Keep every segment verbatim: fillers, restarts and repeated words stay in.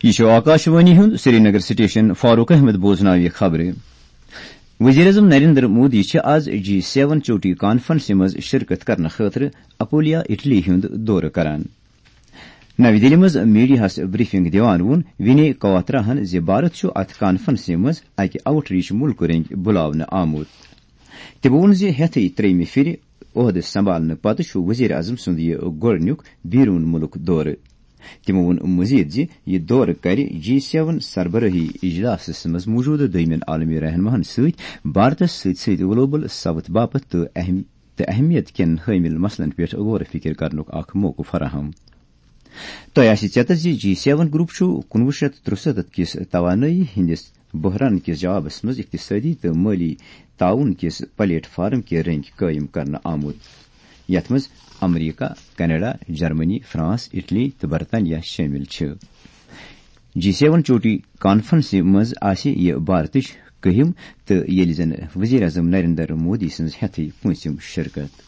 یہِ چھُ آکاشوانی ہُنٛد سرینگر سٹیشن۔ فاروق احمد بوزناوِ خبرٕ۔ وزیر اعظم نریندر مودی چھِ آز جی سیون چوٹی کانفرنسہِ منٛز شرکت کرنہٕ خٲطرٕ اپولیا، اٹلی ہُنٛد دورٕ کران۔ نَوِ دِلہِ منٛز میڈیاہَس بریفنگ دِوان ووٚن وِنے کواتراہَن زِ بھارت چھُ اَتھ کانفرنسہِ منٛز اَکہِ آؤٹ ریچ مُلکہٕ رٔنٛگۍ بُلاونہٕ آمُت۔ تِمو ووٚن زِ ہٮ۪تھٕے ترٛیٚیِمہِ پھِرِ عہدٕ سنبھالنہٕ پتہٕ چھُ وزیر اعظم سُنٛد یہِ گۄڈٕنیُک بیرون مُلک دورٕ۔ تِمو ووٚن مزید زِ یہِ دورٕ کرِ جی سیون سربراہی اجلاسس منٛز موجودٕ دوٚیمٮ۪ن عالمی رہنماہن سۭتۍ بھارتس سۭتۍ سۭتۍ گلوبل ساؤتھ باپتھ تہٕ اہم، تہٕ اہمیت کٮ۪ن حٲمل مسلن پٮ۪ٹھ غور و فکر کرنُک اکھ موقعہٕ فراہم۔ تۄہہِ آسہِ ژیتر زِ جی سیون گروپ چھُ کُنوُہ شیٚتھ ترُسَتتھ کِس توانٲیی ہٕنٛدِس بحران کِس جوابس منٛز اقتصٲدی تہٕ مٲلی تعاون کِس پلیٹ فارم کہِ رٔنٛگۍ قٲیِم کرنہٕ آمُت، یتھ منٛز America, Canada, Germany, France, Italy تہٕ برطانیہ شٲمِل چھِ۔ جی سیون چوٹی کانفرنسہِ منٛز آسہِ یہِ بھارتٕچ کٔہِم تہٕ ییٚلہِ زن وزیر اعظم نریندر مودی سٕنٛز ہٮ۪تھٕے پوٗنٛژِم شرکت۔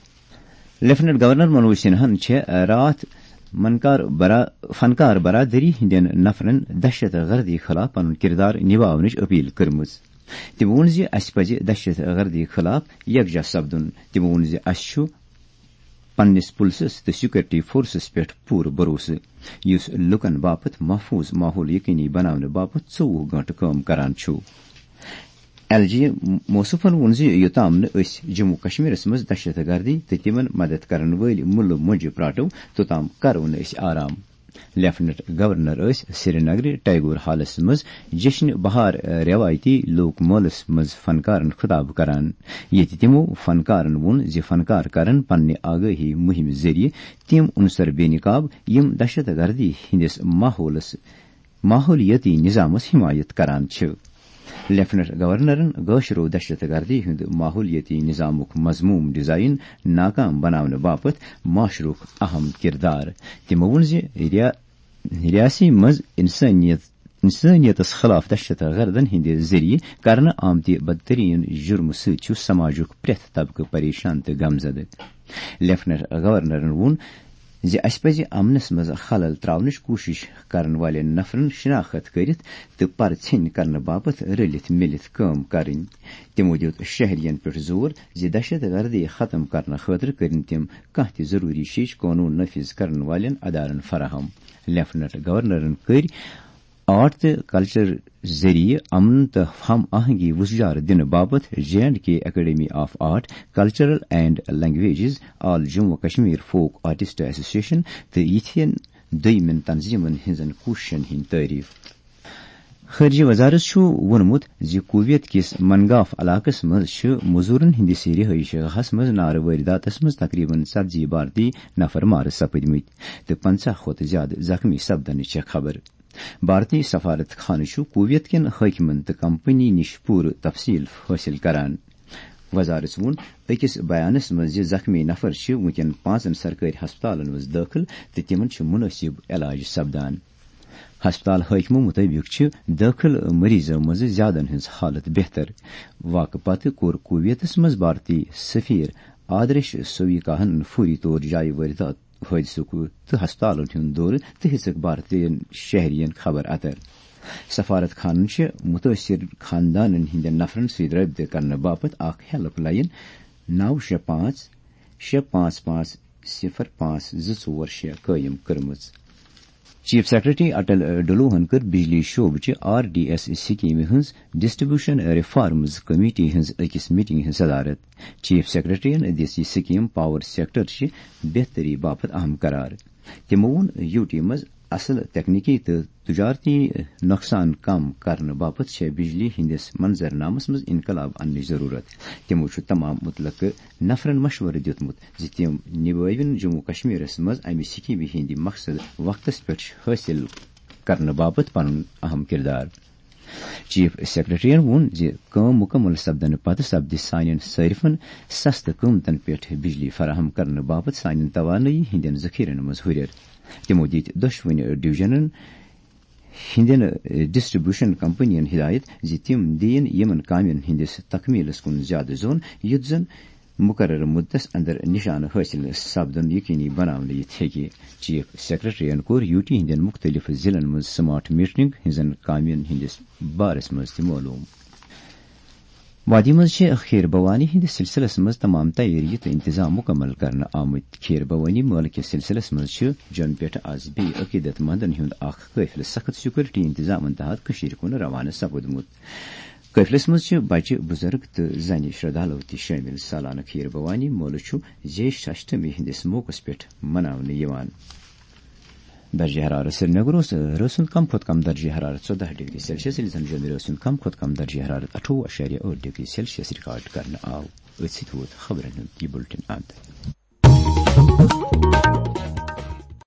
لیفٹیننٹ گورنر منوج سنہاہن چھےٚ راتھ منکار برا-، فنکار برادری ہٕنٛدٮ۪ن نفرن دہشت گردی خلاف پنُن کردار نباونٕچ اپیل کٔرمٕژ۔ تٔمۍ ووٚن زِ اسہِ پزِ دہشت گردی خلاف یکجا سپدُن۔ تٔمۍ ووٚن زِ اسہِ چھُ پننِس پُلسس تہٕ سیکورٹی فورسس پٮ۪ٹھ پوٗرٕ بھروسہٕ، یُس لوٗکن باپتھ محفوظ ماحول یقینی بناونہٕ باپتھ ژوٚوُہ گٲنٛٹہٕ کٲم کران چھُ۔ ایل جی موصوفن ووٚن زِ یوٚتام نہٕ أسۍ جموں کشمیرس منٛز دہشت گردی تہٕ تِمن مدد کرن وٲلۍ مُلہٕ مۄنجہِ پراٹو، توٚتام کرو نہٕ أسۍ آرام۔ لیفٹیننٹ گورنر ٲسۍ سرینگرٕ ٹیگور ہالس منٛز جشن بہار روایتی لوک مٲلس منٛز فنکارن خطاب کران، ییٚتہِ تِمو فنکارن ووٚن زِ فنکار کرن پننہِ آگٲہی مُہِمہِ ذٔریعہٕ تِم عنصر بے نقاب، یِم دہشت گردی ہٕنٛدِس ماحولس، ماحولیٲتی نظامس حمایت کران چھِ۔ لیفٹیننٹ گورنرن گٲشرو دہشت گردی ہُنٛد ماحولیٲتی نظامُک مذموم ڈیزائن ناکام بناونہٕ باپتھ معاشرُک اہم کردار۔ تِمو ووٚن زِ ریا-، ریاسی منٛز انسٲنیت، انسٲنیتس خلاف دہشت گردن ہٕنٛدِ ذٔریعہٕ کرنہٕ آمتہِ بدترین جرمہٕ سۭتۍ چھُ سماجُک پرٛٮ۪تھ طبقہٕ پریشان تہٕ غمزدٕ۔ لیفٹیننٹ گورنرن ووٚن زِ اسہِ پزِ امنس منٛز خلل تراونٕچ کوٗشش کرن والٮ۪ن نفرن شناخت کٔرِتھ تہٕ پرٕ ژھیٚنۍ کرنہٕ باپتھ رلِتھ مِلِتھ کٲم کرٕنۍ۔ تِمو دیُت شہرین پٮ۪ٹھ زور زِ دہشت گردی ختم کرنہٕ خٲطرٕ کٔرِن تِم کانٛہہ تہِ ضروٗری شیٚچھ قونوٗن نافذ کرن والٮ۪ن ادارن فراہم۔ لیفٹیننٹ گورنرن کٔرۍ آرٹ تہٕ کلچر ذٔریعہٕ امن تہٕ ہم آہنگی وُژھجار دِنہٕ باپتھ J and K academy of art, cultural and languages, all Jammu Kashmir folk artist association تہٕ یِتھٮ۪ن دوٚیمٮ۪ن تنظیمن ہٕنٛزن کوٗششن ہٕنٛدۍ تعریف۔ خارجہ وزارت چھُ ووٚنمُت زِ کویت کِس منگاف علاقس منٛز چھِ مزورن ہٕنٛدِس رہٲیشہِ گاہس منٛز نارٕ وٲرۍ داتس منٛز تقریباً ژتجی بھارتی نفر مارٕ سپٕدمٕتۍ تہٕ پنژاہ کھۄتہٕ زیادٕ زخمی سپدنٕچ چھےٚ خبر۔ بھارتی سفارت خانہٕ چھُ کویت کٮ۪ن حٲکمن تہٕ کمپنی نِش پوٗرٕ تفصیل حٲصِل کران۔ وزارت ووٚن أکِس بیانس منٛز زِ زخمی نفر چھِ وُنکٮ۪ن پانٛژن سرکٲرۍ ہسپتالن منٛز دٲخل تہٕ تِمن چھُ مُنٲسِب علاج سپدان۔ ہسپتال حٲکمو مُطٲبِق چھِ دٲخل مریضو منٛز زیادن ہٕنٛز حالت بہتر۔ واقعہٕ پتہٕ کوٚر کویتس منٛز بھارتی سفیر آدرش سویکاہن فوری طور جایہِ وٲرۍ داتہٕ حٲدثُک تہٕ ہسپتالن ہُنٛد دورٕ تہٕ ہیٚژٕکھ بھارتی شہرین خبر اتر۔ سفارت خانن چھِ مُتٲثر خاندانن ہٕنٛدٮ۪ن نفرن سۭتۍ رٲبطہٕ کرنہٕ باپتھ اکھ ہیلپ لائن نو شےٚ پانٛژھ شےٚ پانٛژھ پانٛژھ صفر پانٛژھ زٕ ژور شےٚ قٲیِم کٔرمٕژ۔ چیف سیکرٹری اٹل ڈلوہن کٔر بجلی شعبہٕ چہِ آر ڈی ایس سکیمہِ ہٕنٛز ڈسٹریبیوشن ریفارمز کمیٹی ہٕنٛز أکِس میٹنگ ہٕنٛز صدارت۔ چیف سیکرٹریَن دِژ یہِ سکیٖم پاور سیکٹر چہِ بہتری باپتھ اہم قرار۔ تِمو ووٚن، یوٗ ٹی منٛز اصل تکنیکی تہٕ تجارتی نۄقصان کم کرنہٕ باپتھ چھےٚ بجلی ہٕنٛدِس منظرنامس منٛز انقلاب اننٕچ ضروٗرت۔ تِمو چھُ تمام مُتلقہٕ نفرن مشورٕ دیُتمُت زِ تِم نبٲوِن جموں کشمیرس منٛز امہِ سکیمہِ ہٕنٛدۍ مقصد وقتس پٮ۪ٹھ حٲصِل کرنہٕ باپتھ پنُن اہم کردار۔ چیف سیکرٹریَن ووٚن زِ کٲم مُکمل سپدنہٕ پتہٕ سپدِ سانٮ۪ن صٲرفَن سستہٕ قۭمتَن پٮ۪ٹھ بجلی فراہم کرنہٕ باپتھ سانٮ۪ن توانٲیی ہٕنٛدٮ۪ن ذخیرن منٛز ہُرٮ۪ر۔ تِمو دِتۍ دۄشوٕنی ڈویژنن ہٕنٛدٮ۪ن ڈسٹریبیوشن کمپنین ہدایت زِ تِم دِیِن یِمَن کامٮ۪ن ہٕنٛدِس تکمیلَس کُن زیادٕ زون، یُتھ زَن مقررٕ مدتس اندر نشانہٕ حٲصِل سپدُن یقینی بناونہٕ یِتھ ہیٚکہِ۔ چیف سیکرٹریَن کوٚر یوٗ ٹی ہٕنٛدٮ۪ن مُختٔلِف ضلعن منٛز سمارٹ میٹرنگ ہٕنٛزن کامٮ۪ن ہٕنٛدِس بارس منٛز تہِ معلوم۔ وادی منٛز چھِ خیر بھوانی ہٕنٛدِس سلسلس منٛز تمام تیٲری تہٕ انتظام مکمل کرنہٕ آمٕتۍ۔ خیر بھوانی مٲلہٕ کِس سلسلس منٛز چھِ جوٚمہِ پٮ۪ٹھٕ از بیٚیہِ عقیدت مندن ہُنٛد اکھ قٲفلہٕ سخت سیکورٹی انتظامن تحت کٔشیٖرِ کُن روانہٕ سپُدمُت۔ قٲفلس منٛز چھِ بچہِ، بُزرگ تہٕ زنہِ شردھالو تہِ شٲمِل۔ سالانہٕ خیر بھوانی مٲلہٕ چھُ زیش اشٹمی ہٕنٛدِس موقعس پٮ۪ٹھ مناونہٕ یِوان۔ درجہ حرارت سرینگر اوس رٲژ ہُنٛد کم کھۄتہٕ کم درجہ حرارت ژۄداہ ڈگری سیلسیس، ییٚلہِ زن جوٚمہِ رٲژ ہُنٛد کم کھۄتہٕ کم درجہ حرارت اَٹھووُہ اَشاریہ ٲٹھ ڈگری سیلسیس ریکارڈ کرنہٕ آو۔ أتھۍ سۭتۍ ووت خبرن ہُنٛد یہِ بُلٹن اند۔